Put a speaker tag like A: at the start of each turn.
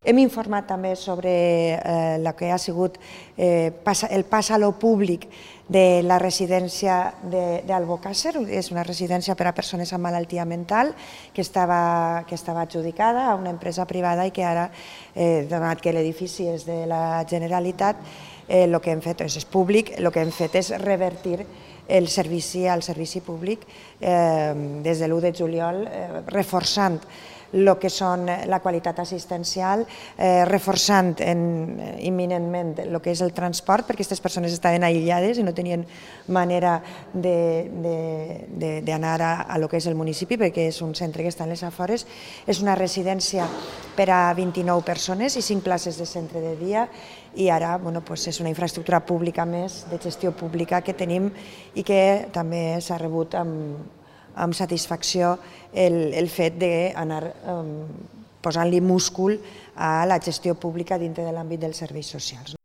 A: Hem informat també sobre el que ha sigut el pas a lo públic de la residència d'Albocàsser. És una residència per a persones amb malaltia mental que estava adjudicada a una empresa privada i que ara, donat que l'edifici és de la Generalitat, el que hem fet és públic, el que hem fet és revertir el servici al servici públic des de l'1 de juliol, reforçant el que són la qualitat assistencial, reforçant imminentment el que és el transport, perquè aquestes persones estaven aïllades i no tenien manera d'anar a lo que és el municipi, perquè és un centre que està a les afores. És una residència per a 29 persones i 5 places de centre de dia, i ara és una infraestructura pública més, de gestió pública que tenim i que també s'ha rebut amb satisfacció el fet d'anar posant-li múscul a la gestió pública dintre de l'àmbit dels serveis socials.